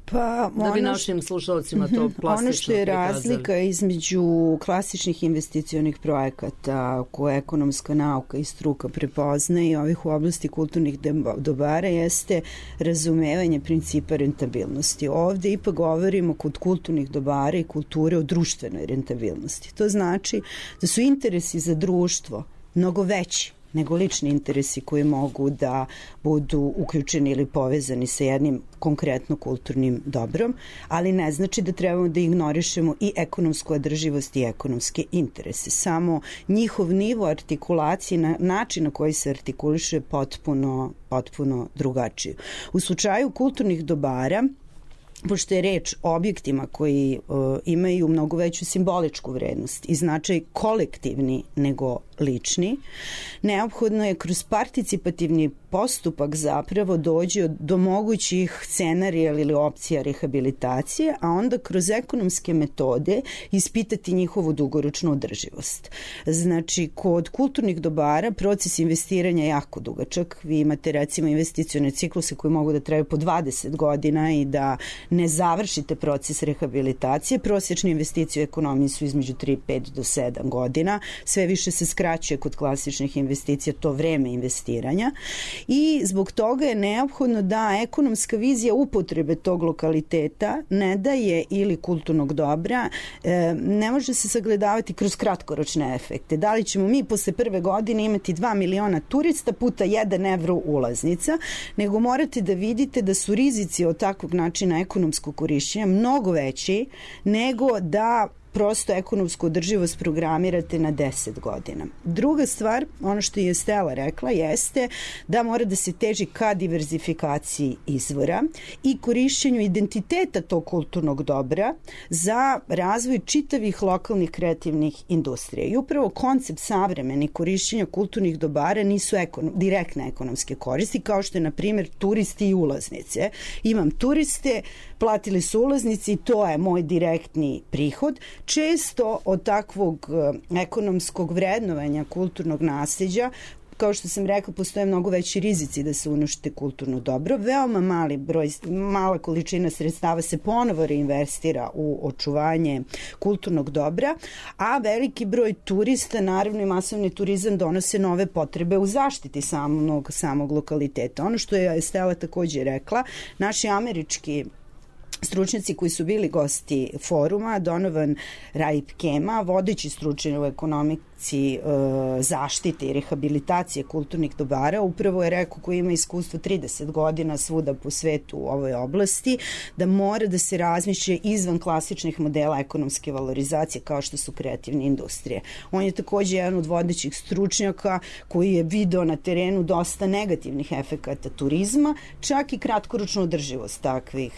Pa, da bi našim slušalcima to plastično prikazali. Ono što je razlika između klasičnih investicionih projekata koje ekonomska nauka i struka prepoznaje i ovih u oblasti kulturnih dobara jeste razumevanje principa rentabilnosti. Ovde ipak govorimo kod kulturnih dobara i kulture o društvenoj rentabilnosti. To znači da su interesi za društvo mnogo veći nego lični interesi koji mogu da budu uključeni ili povezani sa jednim konkretno kulturnim dobrom, ali ne znači da trebamo da ignorišemo i ekonomsku održivost i ekonomske interese. Samo njihov nivo artikulacije, način na koji se artikuliše potpuno drugačije. U slučaju kulturnih dobara, pošto je reč o objektima koji imaju mnogo veću simboličku vrednost i značaj kolektivni nego lični, neophodno je kroz participativni postupak zapravo dođe do mogućih scenarija ili opcija rehabilitacije, a onda kroz ekonomske metode ispitati njihovu dugoročnu održivost. Znači, kod kulturnih dobara proces investiranja je jako dugačak. Vi imate recimo investicione cikluse koji mogu da traju po 20 godina i da ne završite proces rehabilitacije. Prosječne investicije u ekonomiji su između 3, 5 do 7 godina. Sve više se skraćuje kod klasičnih investicija to vreme investiranja i zbog toga je neophodno da ekonomska vizija upotrebe tog lokaliteta ne daje ili kulturnog dobra, ne može se sagledavati kroz kratkoročne efekte. Da li ćemo mi posle prve godine imati 2 miliona turista puta 1 evro ulaznica, nego morate da vidite da su rizici od takvog načina ekonomskog korišćenja mnogo veći nego da prosto ekonomsku održivost programirate na 10 godina. Druga stvar, ono što je Stela rekla, jeste da mora da se teži ka diverzifikaciji izvora i korišćenju identiteta tog kulturnog dobra za razvoj čitavih lokalnih kreativnih industrija. I upravo koncept savremeni korišćenja kulturnih dobara nisu direktne ekonomske koristi, kao što je, na primjer, turisti i ulaznice. Imam turiste, platili su ulaznici i to je moj direktni prihod. Često od takvog ekonomskog vrednovanja kulturnog nasleđa kao što sam rekla, postoje mnogo veći rizici da se unište kulturno dobro. Veoma mala količina sredstava se ponovo reinvestira u očuvanje kulturnog dobra, a veliki broj turista, naravno i masovni turizam, donose nove potrebe u zaštiti samog lokaliteta. Ono što je Stela takođe rekla, naši američki stručnjaci koji su bili gosti foruma, Donovan Raip-Kema, vodeći stručnjak u ekonomici zaštite i rehabilitacije kulturnih dobara, upravo je rekao, koji ima iskustvo 30 godina svuda po svetu u ovoj oblasti, da mora da se razmišlja izvan klasičnih modela ekonomske valorizacije kao što su kreativne industrije. On je takođe jedan od vodećih stručnjaka koji je video na terenu dosta negativnih efekata turizma, čak i kratkoročnu održivost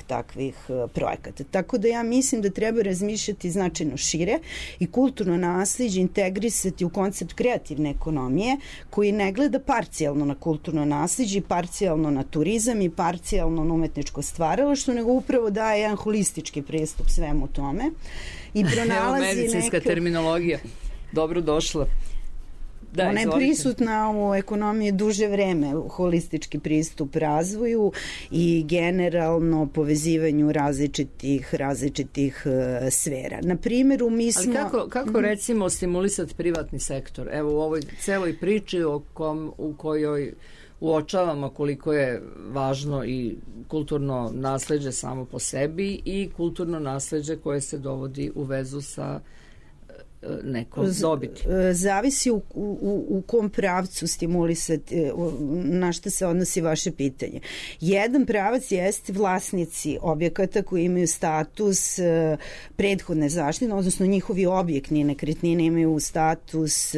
takvih projekata. Tako da ja mislim da treba razmišljati značajno šire i kulturno nasleđe integrisati u koncept kreativne ekonomije koji ne gleda parcijalno na kulturno nasleđe, parcijalno na turizam i parcijalno na umetničko stvaralaštvo, nego upravo daje jedan holistički pristup svemu tome i pronalazi medicinska terminologija. Dobro došla. Da, ona je prisutna u ekonomiji duže vreme, holistički pristup razvoju i generalno povezivanju različitih sfera. Na primjeru mi smo... Ali kako recimo stimulisati privatni sektor? Evo u ovoj celoj priči u kojoj uočavamo koliko je važno i kulturno nasleđe samo po sebi i kulturno nasleđe koje se dovodi u vezu sa neko dobiti. Zavisi u kom pravcu stimulisati, na što se odnosi vaše pitanje. Jedan pravac jeste vlasnici objekata koji imaju status prethodne zaštite, odnosno njihovi objektni nekretnine imaju status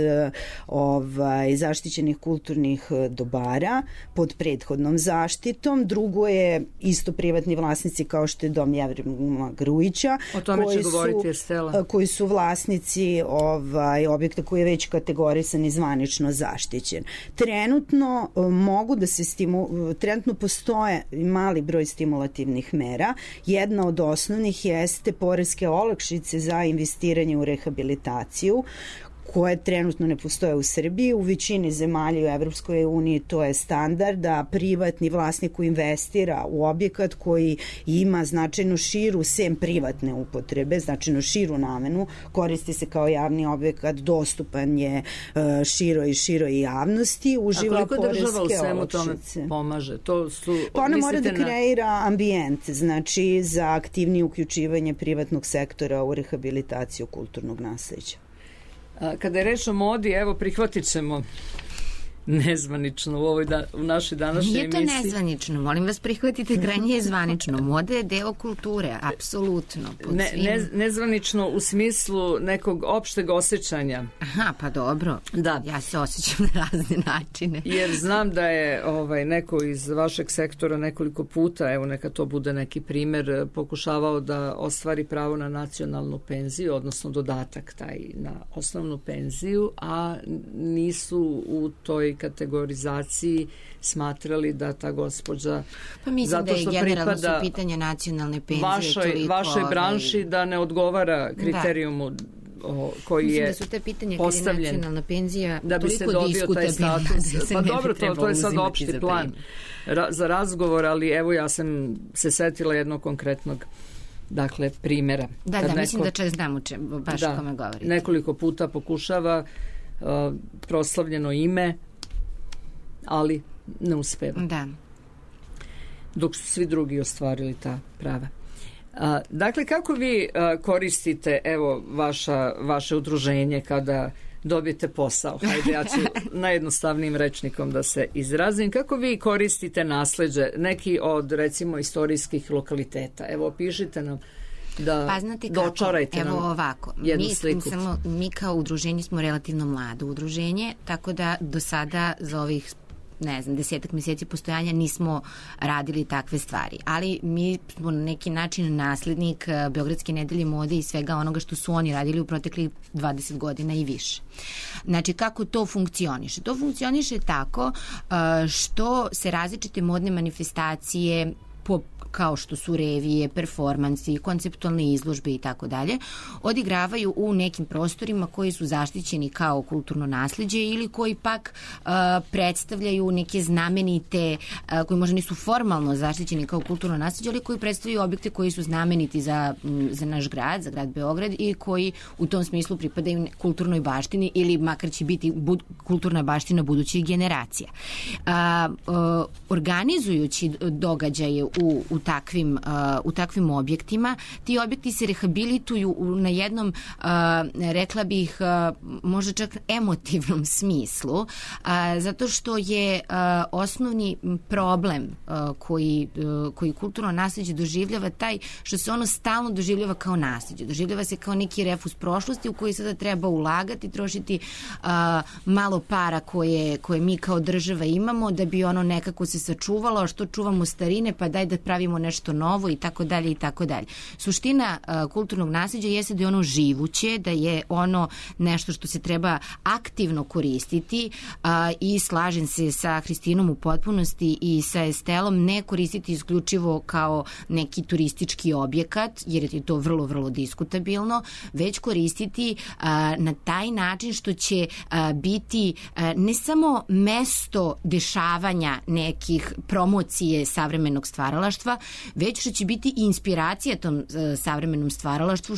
zaštićenih kulturnih dobara pod prethodnom zaštitom. Drugo je isto privatni vlasnici kao što je Dom Jevrema Grujića. O tome će govoriti Stela. Koji su vlasnici objekta koji je već kategorisan i zvanično zaštićen. Trenutno trenutno postoje mali broj stimulativnih mera. Jedna od osnovnih jeste poreske olakšice za investiranje u rehabilitaciju, koje trenutno ne postoje u Srbiji. U većini zemalja u Evropskoj uniji to je standard da privatni vlasnik koji investira u objekat koji ima značajno širu, sem privatne upotrebe, značajno širu namenu, koristi se kao javni objekat, dostupan je široj javnosti, uživa poreske olakšice. A koliko država u svemu tome pomaže? Pa ona mora da kreira ambijent, znači za aktivnije uključivanje privatnog sektora u rehabilitaciju kulturnog nasleđa. Kada je reč o modi, evo prihvatit ćemo nezvanično u našoj današnjoj emisiji. Nije to nezvanično, molim vas prihvatite, krajnje je zvanično. Moda je deo kulture, apsolutno. Nezvanično u smislu nekog opšteg osjećanja. Aha, pa dobro. Da. Ja se osjećam na razne načine. Jer znam da je neko iz vašeg sektora nekoliko puta, evo neka to bude neki primer, pokušavao da ostvari pravo na nacionalnu penziju, odnosno dodatak taj na osnovnu penziju, a nisu u toj kategorizaciji smatrali da ta gospođa, pa mislim zato što da je generalno su pitanje nacionalne penzije vašoj branši da ne odgovara kriterijumu koji je da su te pitanja postavljen kada je nacionalna penzija da bi se dobio taj status. Pa dobro, to je sad opšti plan za razgovor, ali evo ja sam se setila jednog konkretnog primjera. Da, mislim da čak znam baš o kome govorite. Nekoliko puta pokušava proslavljeno ime, ali ne uspeva. Da. Dok su svi drugi ostvarili ta prava. Dakle, kako vi koristite vaše udruženje kada dobijete posao? Hajde, ja ću najjednostavnijim rečnikom da se izrazim. Kako vi koristite nasleđe neki od, recimo, istorijskih lokaliteta? Evo, pišite nam da dočarajte nam ovako. Jednu sliku. Mi kao udruženje smo relativno mlado udruženje, tako da do sada za ovih 10 mjeseci postojanja nismo radili takve stvari. Ali mi smo na neki način naslednik Beogradske nedelje mode i svega onoga što su oni radili u proteklih 20 godina i više. Znači, kako to funkcioniše? To funkcioniše tako što se različite modne manifestacije kao što su revije, performansi, konceptualne izložbe i tako dalje, odigravaju u nekim prostorima koji su zaštićeni kao kulturno nasleđe ili koji pak predstavljaju neke znamenite, koji možda nisu formalno zaštićeni kao kulturno nasleđe, ali koji predstavljaju objekte koji su znameniti za naš grad, za grad Beograd i koji u tom smislu pripadaju kulturnoj baštini ili makar će biti kulturna baština budućih generacija. Organizujući događaje u takvim objektima, ti objekti se rehabilituju na jednom, rekla bih, možda čak emotivnom smislu, zato što je osnovni problem koji kulturno nasleđe doživljava taj što se ono stalno doživljava kao nasleđe. Doživljava se kao neki refus prošlosti u koji sada treba ulagati, trošiti malo para koje mi kao država imamo da bi ono nekako se sačuvalo, a što čuvamo starine, pa daj da pravimo nešto novo i tako dalje i tako dalje. Suština kulturnog nasleđa jeste da je ono živuće, da je ono nešto što se treba aktivno koristiti i slažem se sa Hristinom u potpunosti i sa Estelom, ne koristiti isključivo kao neki turistički objekat, jer je to vrlo, vrlo diskutabilno, već koristiti na taj način što će biti ne samo mesto dešavanja nekih promocije savremenog stvaralaštva, već što će biti inspiracija tom savremenom stvaralaštvu,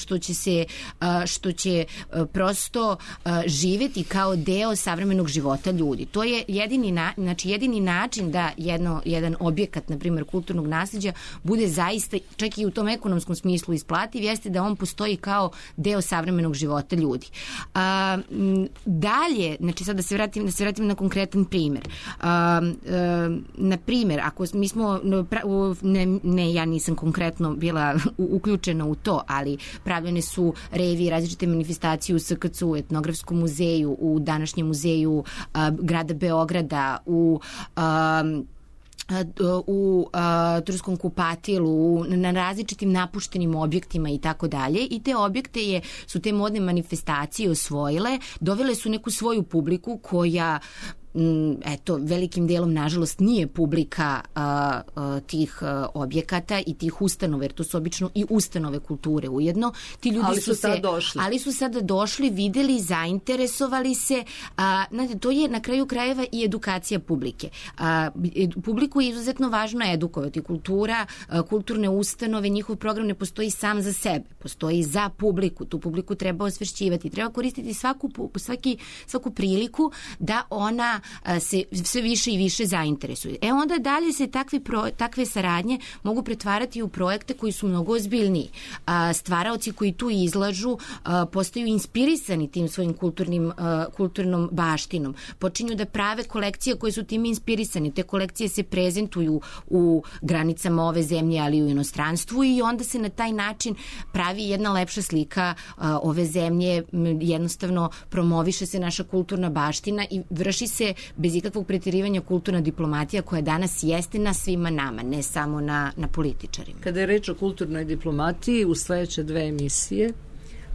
što će prosto živeti kao deo savremenog života ljudi. To je jedini način da jedan objekat, na primjer kulturnog nasleđa, bude zaista, čak i u tom ekonomskom smislu isplativ, jeste da on postoji kao deo savremenog života ljudi. Dalje, znači sad da se vratim na konkretan primjer. Na primjer, ako mi smo, ja nisam konkretno bila uključena u to, ali pravljene su revije, različite manifestacije u SKC, u Etnografskom muzeju, u današnjem muzeju grada Beograda, u Turskom kupatilu, na različitim napuštenim objektima i tako dalje, i te objekte su te modne manifestacije osvojile, dovele su neku svoju publiku koja velikim delom, nažalost, nije publika tih objekata i tih ustanova, jer to su obično i ustanove kulture ujedno. Ti ljudi ali su sada došli, videli, zainteresovali se. Znate, to je na kraju krajeva i edukacija publike. Publiku je izuzetno važno edukovati. Kultura, kulturne ustanove, njihov program ne postoji sam za sebe, postoji za publiku. Tu publiku treba osvešćivati, treba koristiti svaku priliku da ona se sve više i više zainteresuje. Onda dalje se takve saradnje mogu pretvarati u projekte koji su mnogo ozbiljniji. Stvaraoci koji tu izlažu postaju inspirisani tim svojim kulturnom baštinom. Počinju da prave kolekcije koje su tim inspirisani. Te kolekcije se prezentuju u granicama ove zemlje, ali i u inostranstvu, i onda se na taj način pravi jedna lepša slika ove zemlje. Jednostavno promoviše se naša kulturna baština i vrši se bez ikakvog pretjerivanja kulturna diplomatija koja danas jeste na svima nama, ne samo na političarima. Kada je reč o kulturnoj diplomatiji, u sledeće 2 emisije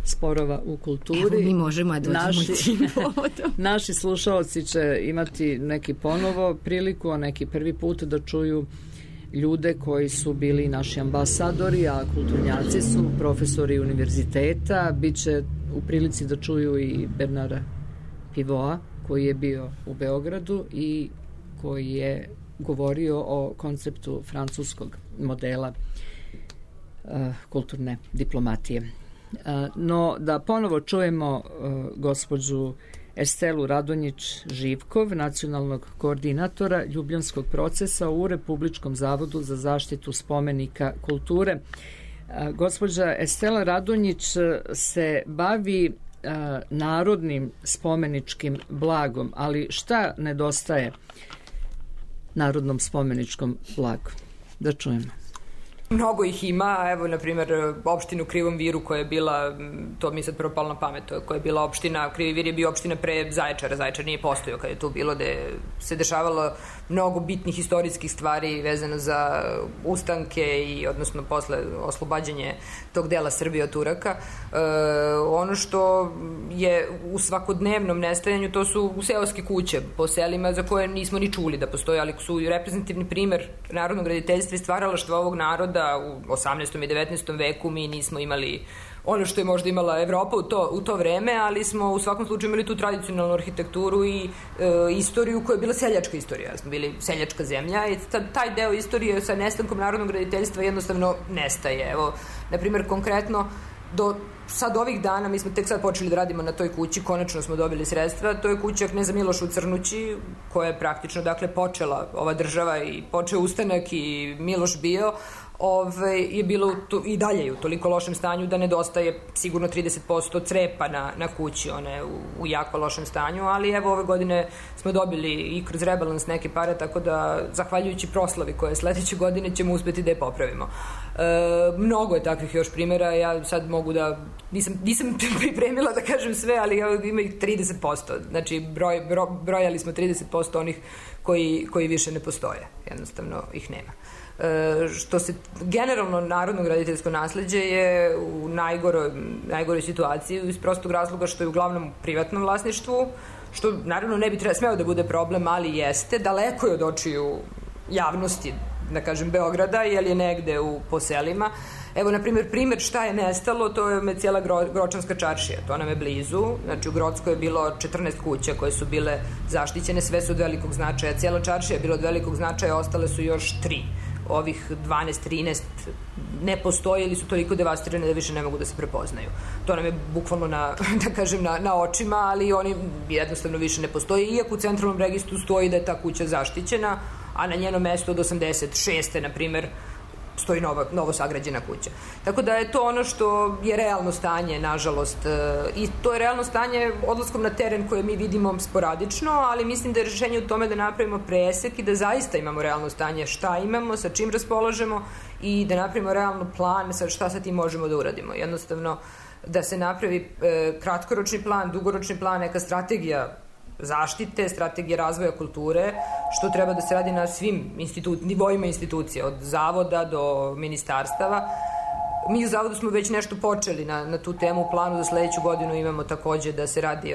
Sporova u kulturi, evo, mi možemo da dođemo tim povodom. Naši slušalci će imati neki ponovo priliku, a neki prvi put da čuju ljude koji su bili naši ambasadori, a kulturnjaci su profesori univerziteta. Biće u prilici da čuju i Bernara Pivoa, koji je bio u Beogradu i koji je govorio o konceptu francuskog modela kulturne diplomatije. No, da ponovo čujemo gospođu Estelu Radonjić-Živkov, nacionalnog koordinatora Ljubljanskog procesa u Republičkom zavodu za zaštitu spomenika kulture. Gospođa Estela Radonjić se bavi narodnim spomeničkim blagom, ali šta nedostaje narodnom spomeničkom blagu? Da čujemo. Mnogo ih ima, evo, na primjer, opštinu Krivom Viru koja je bila, to mi sad prvo palo na pamet, koja je bila opština, Krivi Vir je bio opština pre Zaječara, Zaječar nije postojao kad je tu bilo, gde se dešavalo mnogo bitnih istorijskih stvari vezano za ustanke i odnosno posle oslobađanje tog dela Srbije od Turaka. Ono što je u svakodnevnom nestajanju, to su seoske kuće po selima za koje nismo ni čuli da postoje, ali su reprezentativni primer narodnog graditeljstva i stvaralaštva ovog naroda u 18. i 19. veku. Mi nismo imali ono što je možda imala Evropa u to vreme, ali smo u svakom slučaju imali tu tradicionalnu arhitekturu i istoriju koja je bila seljačka istorija. Smo bili seljačka zemlja i taj deo istorije sa nestankom narodnog graditeljstva jednostavno nestaje. Evo, na primjer, konkretno, do sad ovih dana, mi smo tek sad počeli da radimo na toj kući, konačno smo dobili sredstva, to je kuća Kneza Miloša u Crnući, koja je praktično, dakle, počela ova država i počeo ustanak i Miloš bio, je bilo i dalje u toliko lošem stanju da nedostaje sigurno 30% crepa na kući, ona je u jako lošem stanju, ali evo ove godine smo dobili i kroz rebalans neke pare, tako da zahvaljujući proslavi koje sledeće godine ćemo uspeti da je popravimo. Mnogo je takvih još primjera, ja sad mogu da nisam pripremila da kažem sve, ali ima ih 30%, znači brojali smo 30% onih koji više ne postoje, jednostavno ih nema. Što se generalno narodno graditeljsko nasleđe je u najgoroj situaciji iz prostog razloga što je uglavnom u privatnom vlasništvu, što naravno ne bi smeo da bude problem, ali jeste, daleko je od očiju javnosti, da kažem, Beograda, jer je negde po selima. Evo, na primjer, šta je nestalo, to je cijela Gročanska čaršija, to nam je blizu, znači u Grocskoj je bilo 14 kuća koje su bile zaštićene, sve su od velikog značaja, cijela čaršija je bila od velikog značaja, ostale su još 3. Ovih 12, 13 ne postoje ili su toliko devastirane da više ne mogu da se prepoznaju. To nam je bukvalno na očima, ali oni jednostavno više ne postoje, iako u centralnom registru stoji da je ta kuća zaštićena, a na njenom mestu od 86. na primjer stoji novo sagrađena kuća. Tako da je to ono što je realno stanje, nažalost, i to je realno stanje odlaskom na teren koje mi vidimo sporadično, ali mislim da je rešenje u tome da napravimo presek i da zaista imamo realno stanje šta imamo, sa čim raspolažemo i da napravimo realno plan sa šta sa tim možemo da uradimo. Jednostavno da se napravi kratkoročni plan, dugoročni plan, neka strategija zaštite, strategije razvoja kulture, što treba da se radi na svim nivoima institucija, od zavoda do ministarstava. Mi u zavodu smo već nešto počeli na tu temu, u planu za sledeću godinu imamo takođe da se radi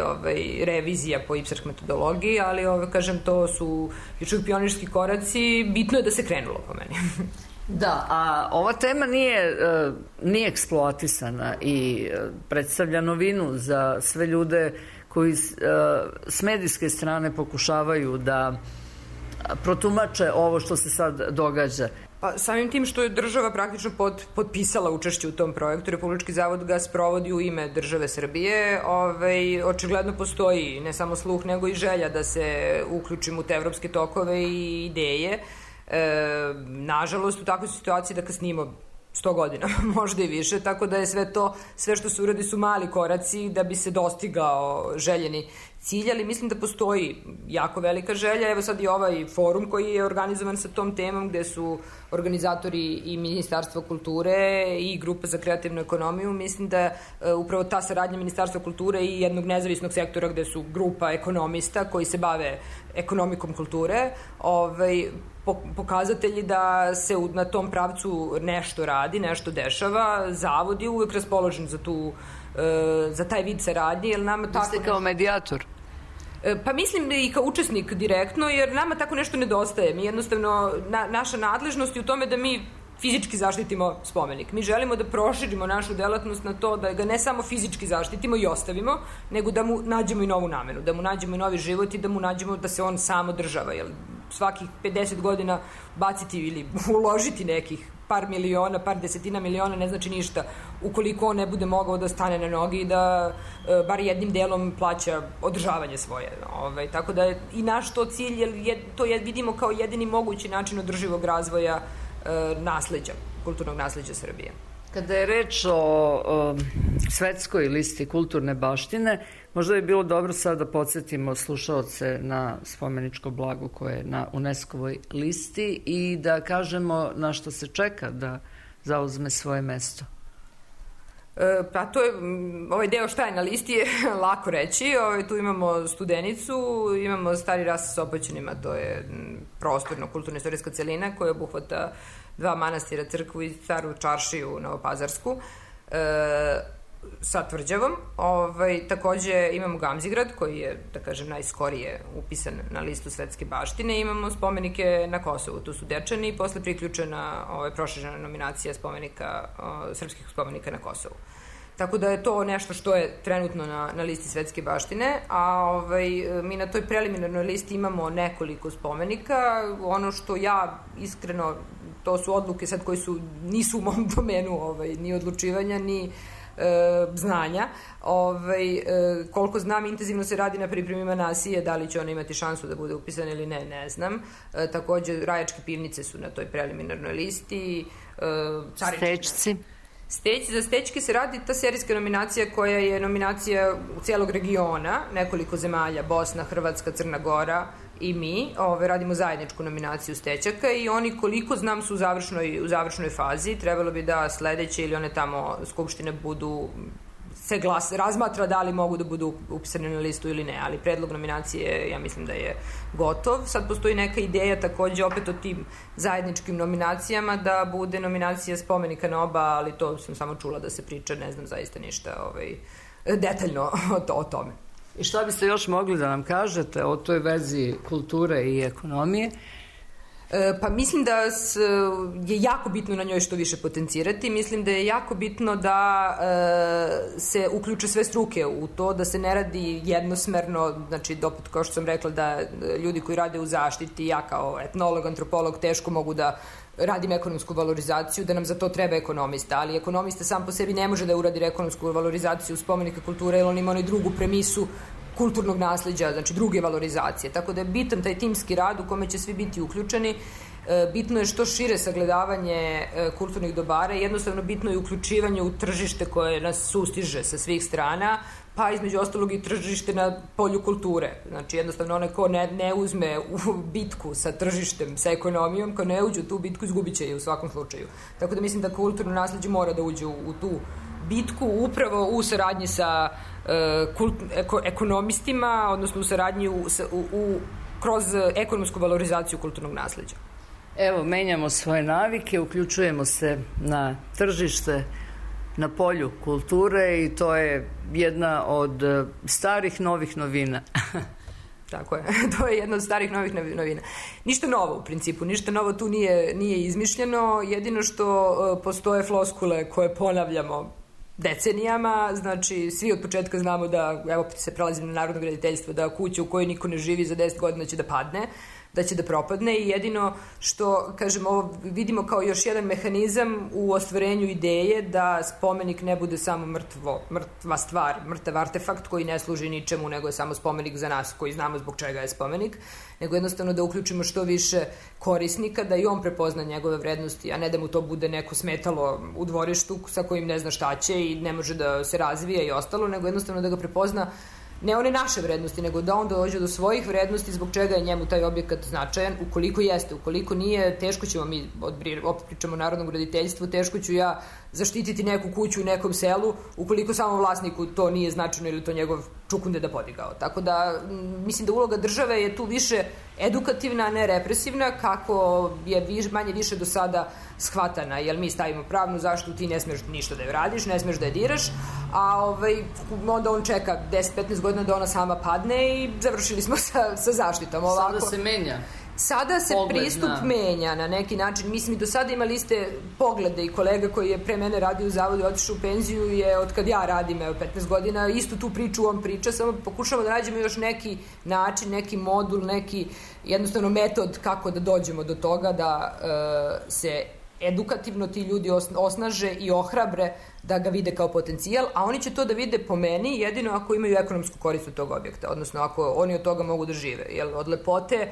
revizija po IPSARH metodologiji, ali kažem, to su još uvijek pionirski koraci, bitno je da se krenulo po meni. Da, a ova tema nije eksploatisana i predstavlja novinu za sve ljude koji s medijske strane pokušavaju da protumače ovo što se sad događa. Pa samim tim što je država praktično potpisala učešće u tom projektu, Republički zavod ga sprovodi u ime države Srbije, očigledno postoji ne samo sluh nego i želja da se uključimo u te evropske tokove i ideje. Nažalost, u takvoj situaciji da kasnimo 100 godina, možda i više, tako da je sve što se uradi su mali koraci da bi se dostigao željeni cilj, ali mislim da postoji jako velika želja. Evo sad i ovaj forum koji je organizovan sa tom temom, gde su organizatori i Ministarstvo kulture i Grupa za kreativnu ekonomiju. Mislim da upravo ta saradnja Ministarstva kulture i jednog nezavisnog sektora gde su grupa ekonomista koji se bave ekonomikom kulture, pokazatelji da se na tom pravcu nešto radi, nešto dešava. Zavod je uvek raspoložen za taj vid saradnje, jer nama tako... Vi ste kao medijator? Pa mislim i kao učesnik direktno, jer nama tako nešto nedostaje. Mi jednostavno, naša nadležnost je u tome da mi fizički zaštitimo spomenik. Mi želimo da proširimo našu delatnost na to da ga ne samo fizički zaštitimo i ostavimo, nego da mu nađemo i novu namenu, da mu nađemo i novi život i da mu nađemo da se on sam održava. Jer svakih 50 godina baciti ili uložiti nekih par miliona, par desetina miliona ne znači ništa ukoliko on ne bude mogao da stane na noge i da bar jednim delom plaća održavanje svoje. Tako da je i naš to cilj, jer vidimo kao jedini mogući način održivog razvoja nasleđa, kulturnog nasleđa Srbije. Kada je reč o svetskoj listi kulturne baštine, možda bi bilo dobro sad da podsjetimo slušaoce na spomeničko blago koje je na UNESCO-voj listi i da kažemo na što se čeka da zauzme svoje mesto? Pa to je, ovaj deo šta je na listi je lako reći. Tu imamo Studenicu, imamo Stari ras sa Sopoćanima, to je prostorno-kulturno-istorijska celina koja obuhvata 2 manastira, crkvu i staru čaršiju Novopazarsku sa tvrđavom. Takođe imamo Gamzigrad koji je, da kažem, najskorije upisan na listu svetske baštine. Imamo spomenike na Kosovu, tu su Dečani i posle priključena proširena nominacija srpskih spomenika na Kosovu. Tako da je to nešto što je trenutno na listi svetske baštine, a mi na toj preliminarnoj listi imamo nekoliko spomenika. Ono što ja iskreno, to su odluke sad koje nisu u mom domenu ni odlučivanja, ni znanja. Koliko znam, intenzivno se radi na pripremima Nasije, da li će ona imati šansu da bude upisana ili ne znam. Takođe, Rajačke pivnice su na toj preliminarnoj listi. Stečci. Za Stećke se radi ta serijska nominacija koja je nominacija cijelog regiona, nekoliko zemalja, Bosna, Hrvatska, Crna Gora i mi. Radimo zajedničku nominaciju Stećaka i oni, koliko znam, su u završnoj fazi. Trebalo bi da sledeće ili one tamo skupštine se razmatra da li mogu da budu upisane na listu ili ne, ali predlog nominacije, ja mislim da je gotov. Sad postoji neka ideja takođe opet o tim zajedničkim nominacijama da bude nominacija spomenika na oba, ali to sam samo čula da se priča, ne znam zaista ništa detaljno o tome. I šta biste još mogli da nam kažete o toj vezi kulture i ekonomije? Pa mislim da je jako bitno na njoj što više potencirati. Mislim da je jako bitno da se uključe sve struke u to, da se ne radi jednosmerno, znači opet kao što sam rekla da ljudi koji rade u zaštiti, ja kao etnolog, antropolog teško mogu da radim ekonomsku valorizaciju, da nam za to treba ekonomista, ali ekonomista sam po sebi ne može da uradi ekonomsku valorizaciju spomenika kulture, jer on ima onaj drugu premisu kulturnog nasleđa, znači druge valorizacije. Tako da je bitan taj timski rad u kome će svi biti uključeni. Bitno je što šire sagledavanje kulturnih dobara i jednostavno bitno je uključivanje u tržište koje nas sustiže sa svih strana, pa između ostalog i tržište na polju kulture. Znači jednostavno onaj ko ne uzme u bitku sa tržištem, sa ekonomijom, ko ne uđe u tu bitku, izgubit će je u svakom slučaju. Tako da mislim da kulturno nasleđe mora da uđe u tu bitku upravo u saradnji sa ekonomistima, odnosno u saradnji kroz ekonomsku valorizaciju kulturnog nasleđa. Evo, menjamo svoje navike, uključujemo se na tržište, na polju kulture i to je jedna od starih novih novina. Tako je, to je jedna od starih novih novina. Ništa novo u principu, ništa novo tu nije izmišljeno, jedino što postoje floskule koje ponavljamo decenijama, znači svi od početka znamo da, evo se prelazim na narodno graditeljstvo, da kuća u kojoj niko ne živi za 10 godina će da padne, da će da propadne i jedino što, kažem, ovo vidimo kao još jedan mehanizam u ostvarenju ideje da spomenik ne bude samo mrtva stvar, mrtav artefakt koji ne služi ničemu, nego je samo spomenik za nas koji znamo zbog čega je spomenik, nego jednostavno da uključimo što više korisnika, da i on prepozna njegove vrednosti, a ne da mu to bude neko smetalo u dvorištu sa kojim ne zna šta će i ne može da se razvija i ostalo, nego jednostavno da ga prepozna ne one naše vrednosti, nego da on dođe do svojih vrednosti zbog čega je njemu taj objekat značajan, ukoliko jeste, ukoliko nije, teško ćemo mi, opet pričamo o narodnom graditeljstvu, teško ću ja zaštititi neku kuću u nekom selu, ukoliko samo vlasniku to nije značajno ili to njegov čukunde da podigao. Tako da, mislim da uloga države je tu više edukativna, a ne represivna, kako je manje više do sada shvatana, jer mi stavimo pravnu zaštitu, ti ne smeš ništa da je radiš, ne smeš da je diraš, a onda on čeka 10-15 godina da ona sama padne i završili smo sa zaštitom. Sada se menja. Sada se pristup menja na neki način. Mislim, i do sada imali ste poglede i kolega koji je pre mene radio u zavodu i otišao u penziju je od kad ja radim, 15 godina, istu tu priču on priča, samo pokušamo da nađemo još neki način, neki modul, neki jednostavno metod kako da dođemo do toga da se edukativno ti ljudi osnaže i ohrabre da ga vide kao potencijal, a oni će to da vide po meni jedino ako imaju ekonomsku korist od tog objekta, odnosno ako oni od toga mogu da žive. Jer od lepote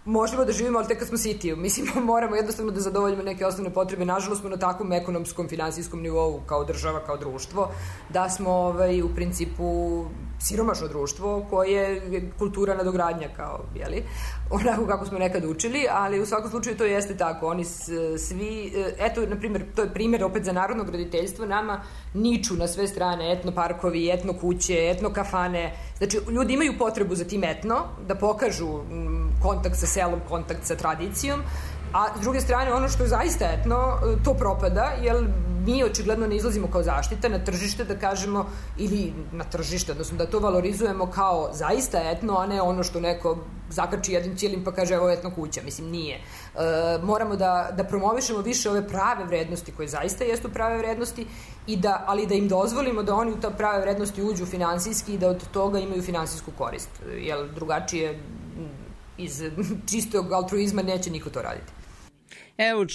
možemo da živimo, ali tek kad smo siti. Mislim, moramo jednostavno da zadovoljimo neke osnovne potrebe. Nažalost smo na takvom ekonomskom, finansijskom nivou kao država, kao društvo, da smo u principu siromašno društvo koje je kultura nadogradnja kao, jeli, onako kako smo nekad učili, ali u svakom slučaju to jeste tako. Oni svi, eto, na primjer, to je primjer opet za narodno graditeljstvo, nama niču na sve strane etno parkovi, etno kuće, etno kafane. Znači, ljudi imaju potrebu za tim etno, da pokažu kontakt sa selom, kontakt sa tradicijom, a s druge strane ono što je zaista etno, to propada, jer mi očigledno ne izlazimo kao zaštita na tržište da kažemo, ili na tržište, odnosno da to valorizujemo kao zaista etno, a ne ono što neko zakači jednim cijelim pa kaže evo etno kuća, mislim nije. Moramo da promovišemo više ove prave vrednosti koje zaista jesu prave vrednosti, ali da im dozvolimo da oni u ta prave vrednosti uđu finansijski i da od toga imaju finansijsku korist, jer drugačije iz čistog altruizma neće niko to raditi. Evo,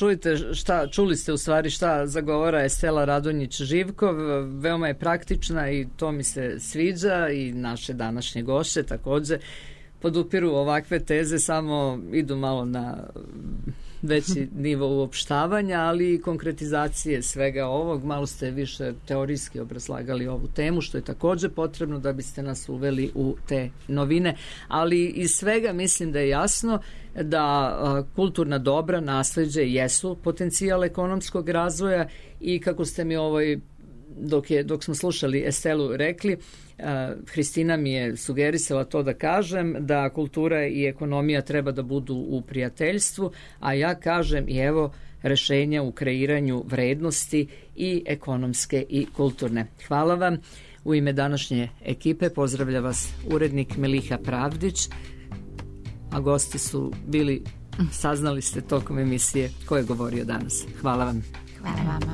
čuli ste u stvari šta zagovara Estela Radonjić-Živkov, veoma je praktična i to mi se sviđa i naše današnje gošće takođe podupiru ovakve teze, samo idu malo na veći nivo uopštavanja, ali i konkretizacije svega ovog. Malo ste više teorijski obrazlagali ovu temu, što je takođe potrebno da biste nas uveli u te novine, ali iz svega mislim da je jasno da kulturna dobra, nasleđe jesu potencijal ekonomskog razvoja i kako ste mi dok smo slušali Estelu rekli, Hristina mi je sugerisala to da kažem, da kultura i ekonomija treba da budu u prijateljstvu, a ja kažem i evo rešenja u kreiranju vrednosti i ekonomske i kulturne. Hvala vam. U ime današnje ekipe pozdravlja vas urednik Meliha Pravdić, a gosti su bili, saznali ste tokom emisije ko je govorio danas. Hvala vam. Hvala vama.